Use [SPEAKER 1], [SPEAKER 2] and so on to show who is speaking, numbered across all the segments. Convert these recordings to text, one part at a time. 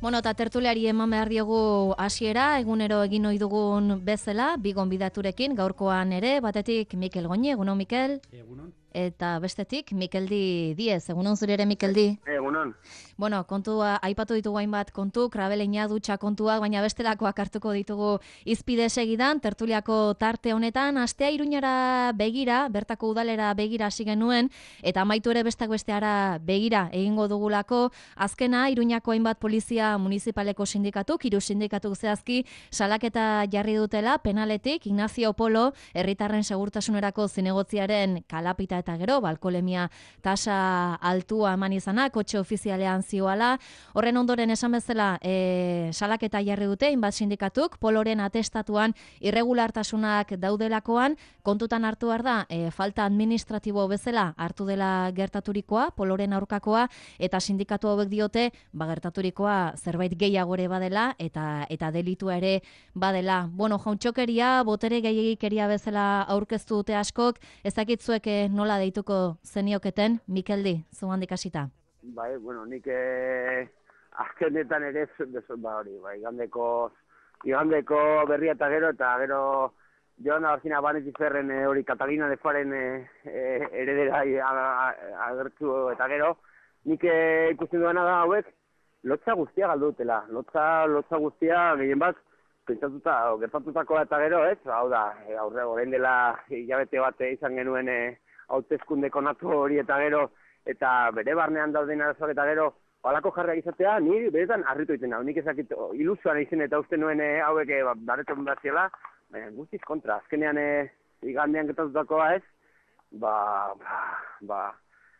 [SPEAKER 1] Bueno, eta tertuliari eman behar diogu hasiera, egunero egin ohi dugun bezala, bi gonbidaturekin, gaurkoan ere, batetik Mikel Goñi, egunon Mikel.
[SPEAKER 2] Egunon.
[SPEAKER 1] Eta bestetik Mikeldi Diez, egunon zure ere Mikeldi.
[SPEAKER 3] Egunon.
[SPEAKER 1] Bueno, kontua, aipatu ditugu hainbat kontu, krabeleina dutxa kontuak, baina bestelakoak hartuko ditugu izpide segidan, tertuliako tarte honetan, astea Iruñara begira, bertako udalera begira hasi genuen, eta amaitu ere bestak besteara begira egingo dugulako, azkena Iruñako hainbat polizia municipaleko sindikatuk, hiru sindikatuk zehazki, salaketa jarri dutela, penaletik, Ignacio Polo, herritarren segurtasunerako zinegotziaren kalapita eta gero, alkoholemia tasa altua eman izana, kotxe ofizialean zioala. Horren ondoren esan bezala, salaketa jarri dute, hainbat sindikatuk, Poloren atestatuan irregulartasunak daudelakoan, kontutan hartu behar da, falta administratibo bezala hartu dela gertaturikoa, Poloren aurkakoa, eta sindikatu hauek diote, gertaturikoa zerbait gehiago ere badela, eta delitua ere badela. Bueno, jauntxokeria, botere gehiagikeria bezala aurkeztu dute askok, ezakitzuek nola deituko zenioketen, Mikeldi, zuhandik hasita.
[SPEAKER 3] Bai, bueno, nik azkenetan ere hori, igandeko berria eta gero Joan Abarcina Banetiferren hori Catalina de Faren heredera agertu eta gero, nik ikusten duena da hauek, lotza guztia galdutela, lotza guztia gehien bat, pentsatuta, gertatutakoa eta gero, ez? Hau da, orain dela hilabete bat izan genuen hauteskunde konatu hori eta gero, eta bere barnean dauden arazoak eta gero, halako jarriak izatea, ni beretan harritu egiten hau, nik ezakit ilusioan izan eta uste nuen hauek bareton bat ziela, baina guztiz kontra, azkenean igandean gertatutakoa ez,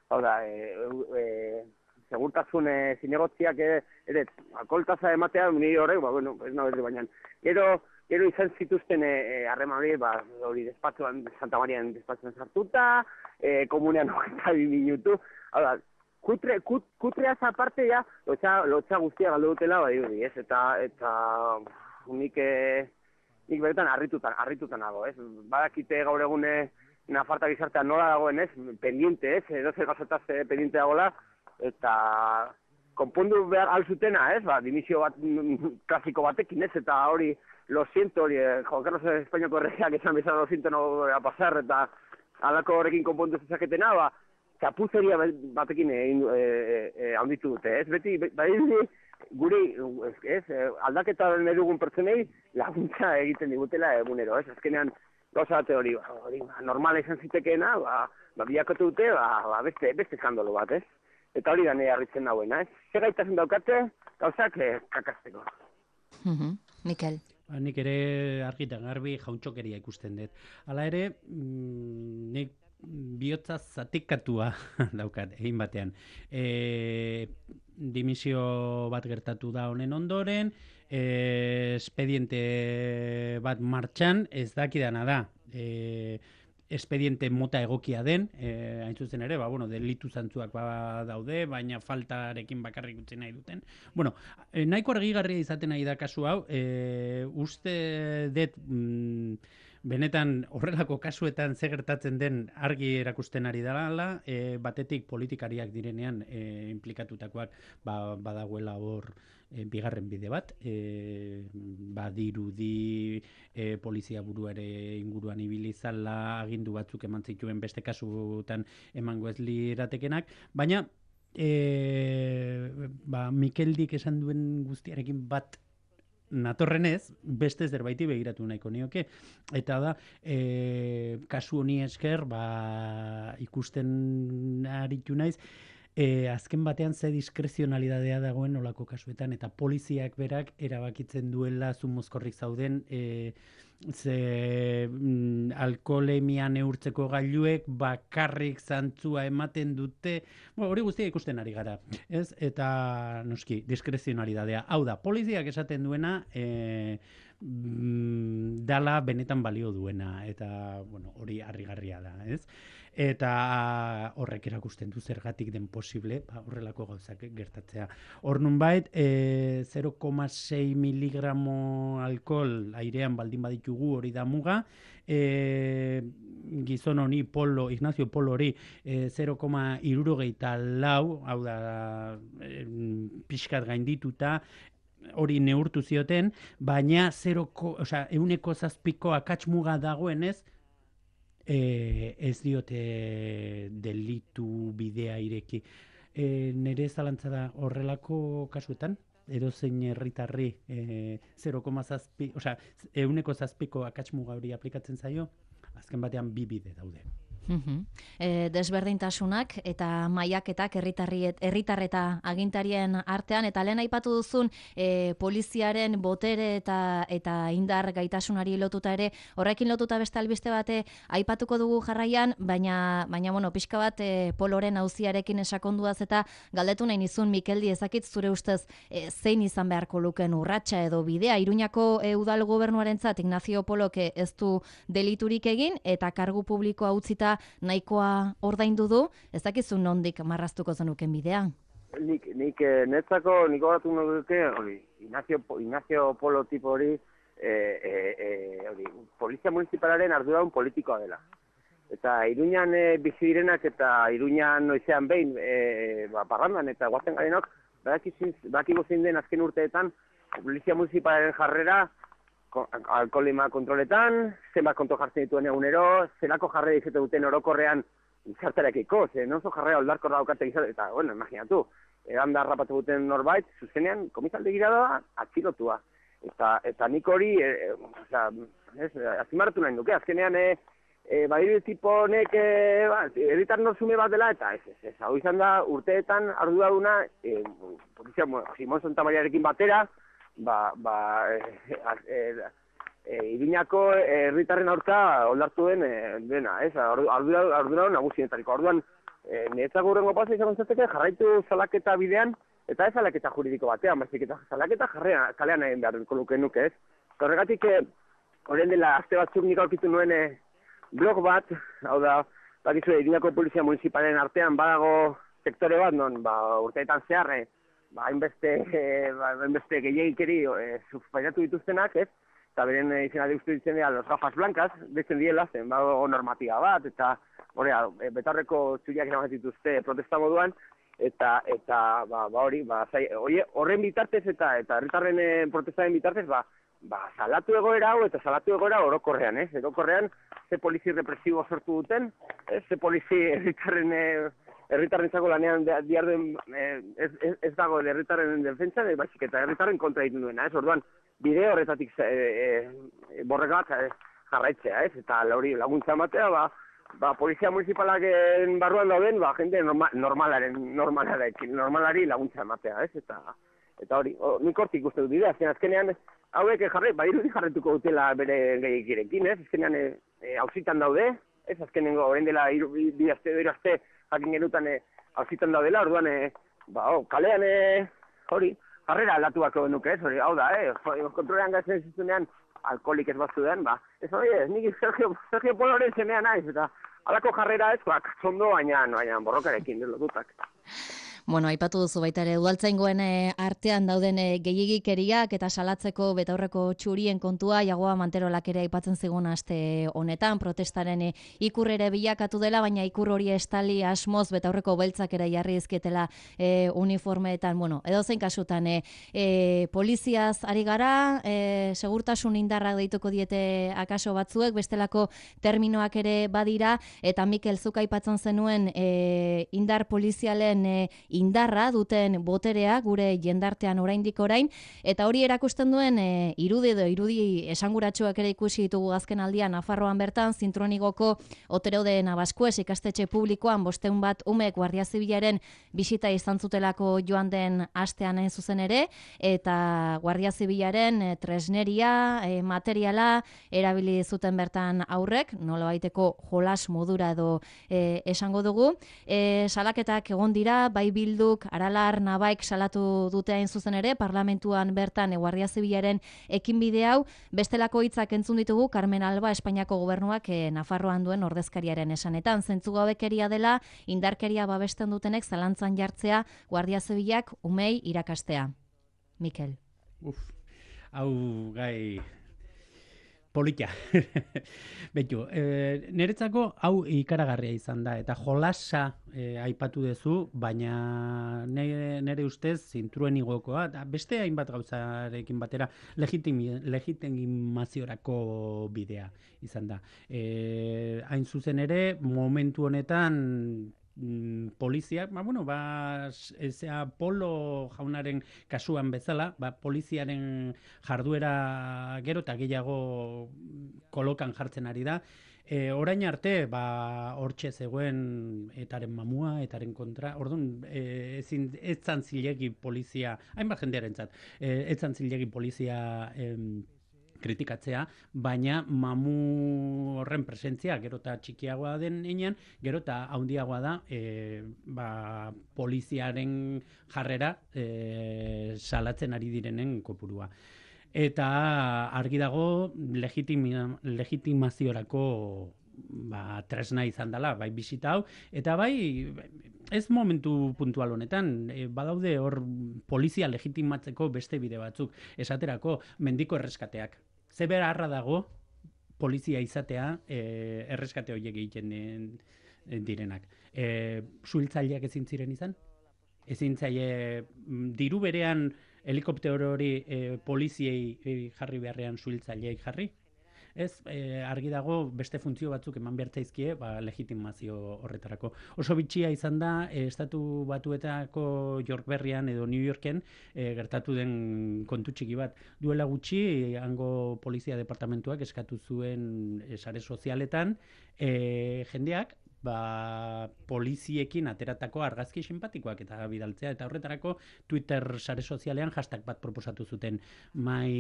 [SPEAKER 3] hau da, segurtasun zinegotziak ere, alkoholtaza ematea, ni horrek, bueno, ez nahi baina, gero izan zituzten harreman hori despatxoan, Santa Marian despatxoan sartuta, komunean 22 minutu, hau da, kutreaz aparte ja, lotxa guztia galdu dutela, ez, eta nik beretan harritutan nago, ez, badakite gaur egune Nafarta gizartean nola dagoen, ez, pendiente, ez, edozer gazotaz pendiente dagoela, eta konpondu behar alzutena, ez, dimisio bat klasiko batekin, ez, eta hori, lo siento, hori, Juan Carlos Espainiako erregeak esan bezala lo siento no voy a pasar, eta alako horrekin konpondu zezaketena, txapuzeria batekin handitu dute, ez, beti, guri, ez, aldaketa nahi dugun pertsonei laguntza egiten digutela egunero, ez, azkenean gauza bate hori, normala izan zitekeena, biakotu dute, beste eskandalo bat, ez? Eta hori da nahi harritzen nagoena, ez? Zer gaitasun daukate, gauzak kakazteko.
[SPEAKER 1] Mikel.
[SPEAKER 2] Nik ere argitan garbi jauntxokeria ikusten dut. Hala ere, nik bihotza zatikatua daukat, egin batean. Dimisio bat gertatu da honen ondoren, espediente bat martxan, ez dakidana da, espediente mota egokia den, hain zuzen ere, delitu zantzuak daude, baina faltarekin bakarrik utzi nahi duten. Bueno, nahiko argigarria izaten nahi da kasu hau, uste dut benetan horrelako kasuetan ze gertatzen den argi erakusten ari dela, batetik politikariak direnean implikatutakoak badagoela hor bigarren bide bat, badirudi polizia burua ere inguruan ibili zala, agindu batzuk eman zituen beste kasutan emango ez liratekenak, baina Mikeldik esan duen guztiarekin bat natorrenez, beste zerbaiti begiratu nahiko nioke. Eta da, kasu honi esker, ikusten aritu naiz, azken batean ze diskrezionalidadea dagoen olako kasuetan, eta poliziak berak erabakitzen duela zumozkorrik zauden, alkoholemia neurtzeko gailuek bakarrik zantzua ematen dute, hori guztia ikusten ari gara, ez? Eta noski, diskrezionalidadea. Hau da, poliziak esaten duena dala benetan balio duena, eta hori harrigarria da, ez? Eta horrek erakusten du zergatik den posible horrelako gauzak gertatzea. Hor nunbait 0,6 miligramo alkohol airean baldin baditu ditugu, hori da muga. Gizon honi Ignacio Polo hori 0,74, hau da pixkat gaindituta, hori neurtu zioten, baina 1,7ko akats muga dagoenez, ez diote delitu bidea ireki. Nire zalantza da horrelako kasuetan, edozein herritarri 0,7, 1,7ko akats muga hori aplikatzen zaio, azken batean bi bide daude.
[SPEAKER 1] Desberdintasunak eta mailaketak herritar eta agintarien artean, eta lehen aipatu duzun poliziaren botere eta indar gaitasunari lotuta ere, horrekin lotuta beste albiste bate aipatuko dugu jarraian, baina bueno, pixka bat Poloren auziarekin esakonduaz eta galdetu nahi nizun, Mikeldi, ezakit zure ustez zein izan beharko luken urratsa edo bidea. Iruñako udal gobernuarentzat Ignacio Polok ez du deliturik egin eta kargu publikoa utzita nahikoa ordaindu du, ez dakizu nondik marraztuko zenuken bidea?
[SPEAKER 3] Nik netzako, nik horatu nuke, Ignacio Polo tipo hori, polizia municipalaren arduradun politikoa dela. Eta Iruñan bizi direnak eta Iruñan noizean behin, parrandan eta guazen garenok, badakigu zein den azken urteetan, polizia municipalaren jarrera, alkoholema kontroletan, zenbat kontrol jartzen dituen egunero, zelako jarrera izate duten orokorrean izartarekiko, oso jarrera oldarko daukate izate, eta, bueno, imaginatu, eranda harrapatu duten norbait, zuzenean, komisaldegira da, atxilotua. Eta nik hori, azimarratu nahi duke, azkenean, badiru tipo honek, herritar norzume bat dela, eta ez, hau izan da, urteetan arduraduna, polizia, Simon Santamariarekin batera, Iruñako herritarren aurka oldartu den dena, arduradun nagusienetariko. Orduan, niretzako hurrengo pasa izan gontzateke jarraitu salaketa bidean, eta ez salaketa juridiko batean, baizik eta salaketa kalean egin beharko nuke, ez? Horregatik, horren dela aste batzuk nik aurkitu nuen blog bat, hau da, bakizu, Iruñako polizia municipalen artean badago sektore bat, non, urteetan zehar, hainbeste gehiagikeri pairatu dituztenak, ez? Eta beren izena deustu ditzen dira los gafas blancas, deitzen diela, zen bago normatiba bat, eta betarreko txuriak erabat dituzte protesta moduan, eta horren bitartez eta herritarren protestaren bitartez, salatu egoera hau eta salatu egoera orokorrean, ez? Orokorrean, ze polizi represibo sortu duten, ze polizi herritarrentzako lanean diarduen ez dago herritarren defentsan, baizik eta herritarren kontra egiten duena, ez? Orduan, bide horretatik borrega bat jarraitzea, ez? Eta hori laguntza ematea, polizia municipalaren barruan dauden, jende normalari laguntza ematea, ez? Eta hori, nik hortik uste dut bidea, azkenean, hauek irudi jarretuko dutela bere gehiagirekin, ez? Azkenean, hauzitan daude, ez? Azkenengo, orain dela bi aste jakin genutan hauzitan daudela, orduan, kalean, hori, jarrera aldatu bako nuke, ez? Hau da, kontrolean gazen zizunean, alkoholik ez batzu den, ez hori, nik Sergio Poloren semea naiz, eta alako jarrera ez, katzondo, baina borrokarekin, lotutak.
[SPEAKER 1] Bueno, aipatu duzu baita ere, udaltzaingoen artean dauden gehiagikeriak eta salatzeko betaurreko txurien kontua, Jagoa Manterolak ere aipatzen zigun aste honetan, protestaren ikur ere bilakatu dela, baina ikur hori estali asmoz betaurreko beltzak ere jarri ezketela uniformeetan, bueno, edozein kasutan, poliziaz ari gara, segurtasun indarrak deituko diete akaso batzuek, bestelako terminoak ere badira, eta Mikel zuk aipatzen zenuen indar polizialen indarra duten boterea gure jendartean oraindik orain, eta hori erakusten duen irudi esanguratsuak ere ikusi ditugu azken aldian Nafarroan bertan, Zintronigoko Oterode Nabaskues ikastetxe publikoan 500 bat umek Guardia Zibilaren bisita izan zutelako joan den astean hain zuzen ere, eta Guardia Zibilaren tresneria, materiala erabili zuten bertan aurrek, nolabaiteko jolas modura edo esango dugu. Salaketak egon dira, bai Bilduk, Aralar, Nabaik salatu dute hain zuzen ere, parlamentuan bertan Guardia Zibilaren ekinbide hau, bestelako hitzak entzun ditugu Carmen Alba Espainiako gobernuak Nafarroan duen ordezkariaren esanetan. Zentzugabekeria dela, indarkeria babesten dutenek zalantzan jartzea Guardia Zibilak umei irakastea. Mikel.
[SPEAKER 2] Hau gai Polita. Betu, niretzako hau ikaragarria izan da, eta jolasa aipatu duzu, baina nire ustez zintruen igokoa, eta beste hainbat gauzarekin batera legitimaziorako bidea izan da. Hain zuzen ere, momentu honetan poliziak, Polo jaunaren kasuan bezala, poliziaren jarduera gero eta gehiago kolokan jartzen ari da. Orain arte, hortxe zegoen etaren mamua, etaren kontra, orduan, ez zan zilegi polizia, hainbat jendearentzat, ez zan zilegi polizia kritikatzea, baina mamu horren presentzia gero eta txikiagoa den heinean, gero eta handiagoa da poliziaren jarrera salatzen ari direnen kopurua. Eta argi dago legitimaziorako tresna izan dela, bai bisita hau, eta bai ez momentu puntual honetan, badaude hor polizia legitimatzeko beste bide batzuk, esaterako mendiko erreskateak. Ze beharra dago polizia izatea erreskate horiek egiten direnak. Suhiltzaileak ezin ziren izan? Ezin zaie diru berean helikoptero hori poliziei jarri beharrean suhiltzaileei jarri? Ez, argi dago beste funtzio batzuk eman behartzaizkie legitimazio horretarako. Oso bitxia izan da, Estatu Batuetako York Berrian edo New Yorken gertatu den kontu txiki bat. Duela gutxi, hango polizia departamentuak eskatu zuen sare sozialetan, jendeak poliziekin ateratako argazki simpatikoak eta bidaltzea, eta horretarako Twitter sare sozialean hashtag bat proposatu zuten, My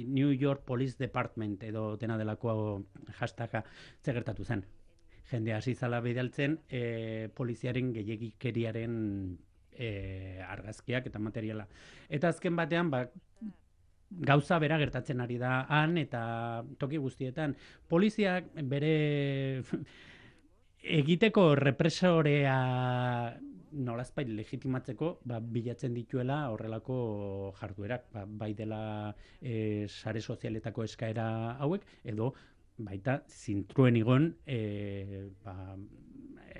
[SPEAKER 2] New York Police Department edo dena delako hashtaga. Ze gertatu zen. Jende hasi zala bidaltzen poliziaren gehiegikeriaren argazkiak eta materiala. Eta azken batean, gauza bera gertatzen ari da han eta toki guztietan. Poliziak bere egiteko represorea nolazpait legitimatzeko bilatzen dituela horrelako jarduerak, bai dela sare sozialetako eskaera hauek, edo baita zintruen igon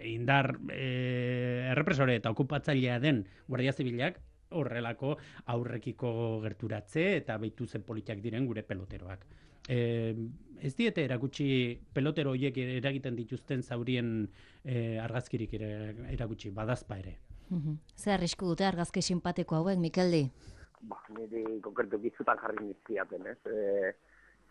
[SPEAKER 2] indar errepresore eta okupatzailea den Guardia Zibilak horrelako aurrekiko gerturatze eta behitu zen politikak diren gure peloteroak. Ez diete erakutsi pelotero horiek eragiten dituzten zaurien argazkirik erakutsi, badazpa ere.
[SPEAKER 1] Zer arrisku dute argazki simpatiko hauek, Mikeldi?
[SPEAKER 3] Niri konkretu gizutan jarri nizkiaten, ez?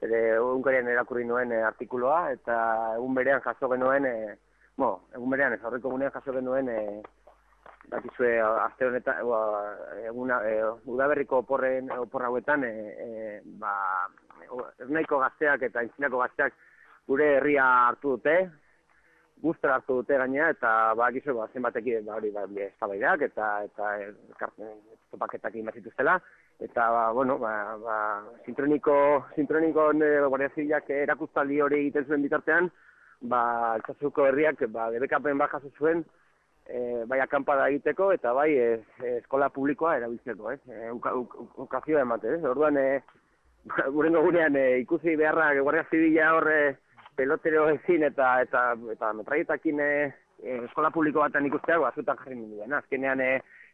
[SPEAKER 3] Egunkarian erakurri nuen artikuloa, eta egun berean jaso genuen, egun berean ez aurreko egunean jaso genuen, bakizue aste honetan, udaberriko opor hauetan, Ernaiko gazteak eta Aintzinako gazteak gure herria hartu dute, guztera hartu dute gainera, eta bakizue zenbatekin eztabaidak eta topaketak egin bazituztela, eta Zintroniko Guardia Zibilak erakustaldi hori egiten zuen bitartean, Altsasuko herriak debekapen bat jaso zuen, bai akampada egiteko eta bai eskola publikoa erabiltzeko, ukazioa ematen, orduan gurengo gunean ikusi beharra Guardia Zibila horre pelotero ezin eta metraietakin eskola publiko batean ikusteak azutan jarri ninduen. Azkenean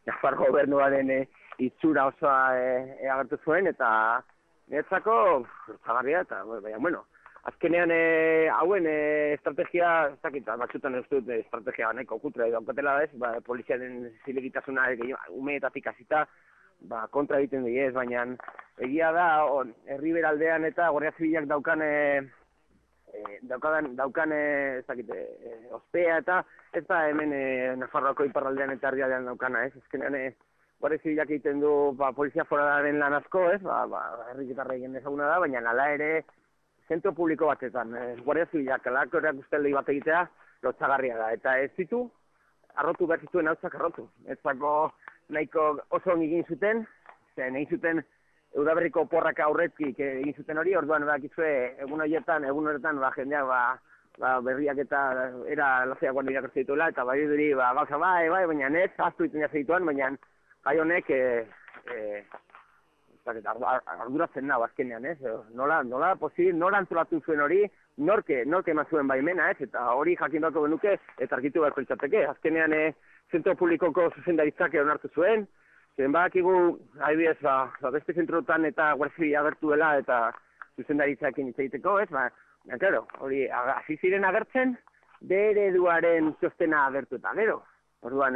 [SPEAKER 3] Nafar gobernuaren itxura osoa agertu zuen eta niretzako zagarria eta azkenean hauen estrategia, ez dakit, batzutan ez dut estrategia nahiko kutre daukatela ez, poliziaren zilegitasuna umeetatik hasita kontra egiten diez, baina egia da herri beraldean eta Guardia Zibilak daukan ez dakit, ospea eta ez da hemen Nafarroako iparraldean eta herrialdean daukana, ez? Ezkenean Guardia Zibilak egiten du polizia foralaren lan asko, ez? Herritarra egin ezaguna da, baina hala ere zentro publiko batetan, Guardia Zibilak alako erakusteli bat egitea lotxagarria da, eta ez ditu arrotu behar zituen hautzak arrotu. Ezako nahiko oso egin zuten, egin zuten udaberriko oporrak aurretik egin zuten hori, orduan egun horretan jendeak berriak eta era lazeagoan irakurtzen dituela, eta bai duri gauza baina ez, aztu egiten jazte dituan, baina gai honek arduratzen nago azkenean, ez? Nola antolatu zuen hori, norke eman zuen baimena, ez? Eta hori jakin beharko genuke, eta argitu beharko litzateke. Azkenean, zentro publikoko zuzendaritzak onartu zuen, zen badakigu, adibidez, beste zentrotan eta guardia agertu dela, eta zuzendaritzaekin hitz egiteko, ez? Claro, hori, hasi ziren agertzen, bere ereduaren txostena agertu eta gero. Orduan,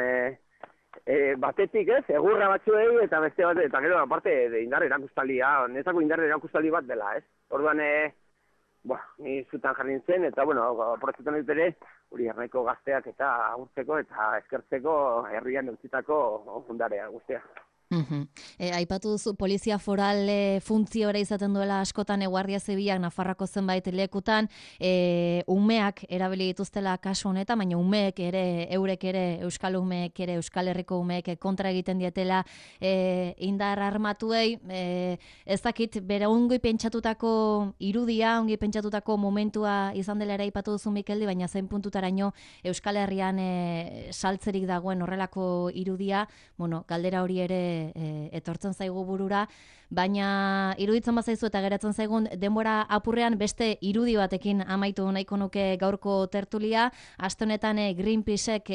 [SPEAKER 3] batetik ez, egurra batzuei eta beste bat, eta gero, aparte, indar erakustaldia, netako indar erakustaldi bat dela, ez? Orduan, ni zutan jarri nintzen, eta, aprotzetan dut ere, hori hernaiko gazteak eta agurtzeko eta eskertzeko herrian eutzitako ondarea guztia.
[SPEAKER 1] Aipatu duzu polizia foral funtziora izaten duela askotan Guardia Zibilak Nafarroako zenbait lekutan umeak erabili dituztela kasu honetan, baina umeek ere eurek ere Euskal umeek ere Euskal Herriko umeek kontra egiten dietela indar armatuei, ez dakit bere ongi pentsatutako irudia, ongi pentsatutako momentua izan dela ere aipatu duzu Mikeldi, baina zein puntutaraino Euskal Herrian saltzerik dagoen horrelako irudia, galdera hori ere etortzen zaigu burura, baina iruditzen bazaizu eta geratzen zaigun denbora apurrean beste irudi batekin amaitu nahiko nuke gaurko tertulia, aste honetan Greenpeacek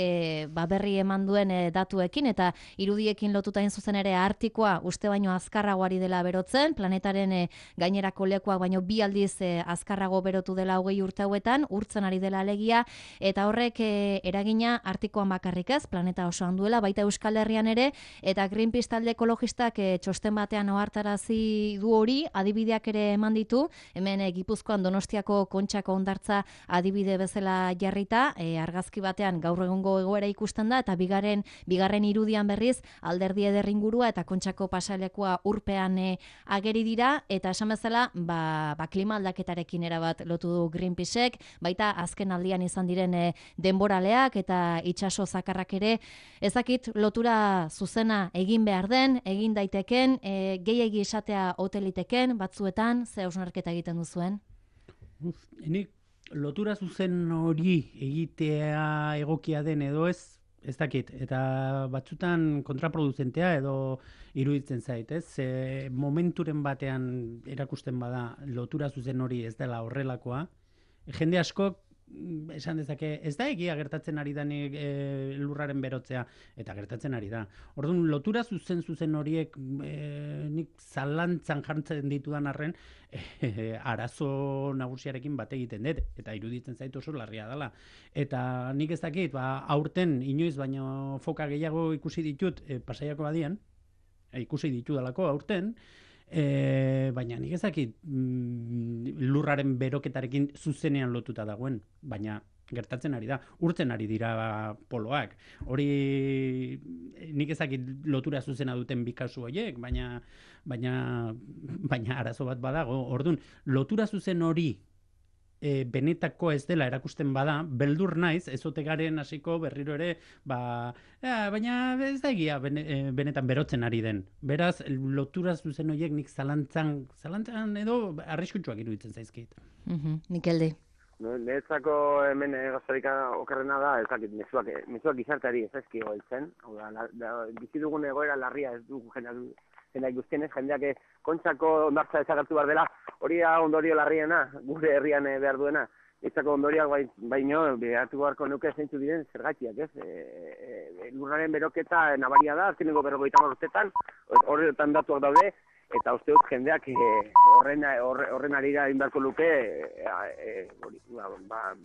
[SPEAKER 1] berri eman duen datuekin eta irudiekin lotuta hain zuzen ere Artikoa uste baino azkarragoari dela berotzen, planetaren gainerako lekuak baino 2 aldiz azkarrago berotu dela 20 urte hauetan, urtzen ari dela alegia, eta horrek eragina Artikoan bakarrik ez, planeta osoan duela, baita Euskal Herrian ere, eta Greenpeace talde ekologistak txosten batean ohartarazi du hori, adibideak ere eman ditu, hemen Gipuzkoan Donostiako Kontxako hondartza adibide bezala jarrita, argazki batean gaur egungo egoera ikusten da, eta bigarren irudian berriz Alderdi Eder ingurua eta Kontxako pasalekua urpean ageri dira, eta esan bezala, klima aldaketarekin erabat lotu du Greenpeacek, baita azken aldian izan diren denboraleak eta itsaso zakarrak ere, ezakit lotura zuzena egin behar den, egin daiteken, gehiegi esatea hoteliteken, batzuetan, ze hausnarketa egiten duzuen?
[SPEAKER 2] Nik lotura zuzen hori egitea egokia den edo ez dakit, eta batzutan kontraproduzentea edo iruditzen zait, ez? Momenturen batean erakusten bada lotura zuzen hori ez dela horrelakoa, jende askok esan dezake, ez da egia gertatzen ari danik lurraren berotzea, eta gertatzen ari da. Orduan, lotura zuzen horiek nik zalantzan jartzen ditudan arren, arazo nagusiarekin bat egiten dut, eta iruditzen zait oso larria dela. Eta nik ez dakit, aurten inoiz baino foka gehiago ikusi ditut Pasaiako badian, ikusi ditudalako aurten, baina nik ezakit lurraren beroketarekin zuzenean lotuta dagoen, baina gertatzen ari da, urtzen ari dira poloak. Hori nik ezakit lotura zuzena duten bi kasu horiek, baina arazo bat badago. Orduan, lotura zuzen hori benetako ez dela erakusten bada, beldur naiz, ez ote garen hasiko berriro ere, baina ez da egia benetan berotzen ari den. Beraz, lotura zuzen horiek nik zalantzan edo arriskutsuak iruditzen zaizkit.
[SPEAKER 1] Mikeldi.
[SPEAKER 3] Niretzako hemen gaztarik okerrena da, ez dakit, mezuak gizarteari ez ezkio heltzen. Bizi dugun egoera larria ez dugu jendeak guztienez, jendeak Kontxako hondartza desagertu behar dela, hori da ondorio larriena, gure herrian behar duena. Niretzako ondorioak baino, behartu beharko nuke zeintzu diren zergatiak, ez? Lurraren beroketa nabaria da, azkeneko 50 urtetan, horretan datuak daude, eta uste dut jendeak horren arira indarko luke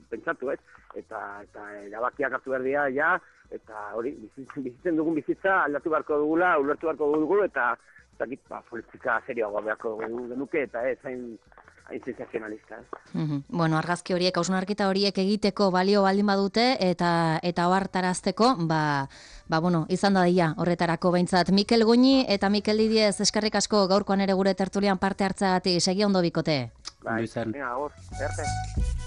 [SPEAKER 3] pentsatu, ez? Eta erabakiak hartu behar dira, ja, eta hori, bizitzen dugun bizitza aldatu beharko dugula, ulertu beharko dugu, eta politika serioagoa beharko genuke, eta ez hain sensazionalista.
[SPEAKER 1] Bueno, argazki horiek, hausnarketa horiek egiteko balio baldin badute, eta ohartarazteko, izan da dira horretarako behintzat. Mikel Goñi eta Mikel Didiez, eskerrik asko gaurkoan ere gure tertulian parte hartzeagatik, segi ondo bikote.
[SPEAKER 3] Venga, agur, erte.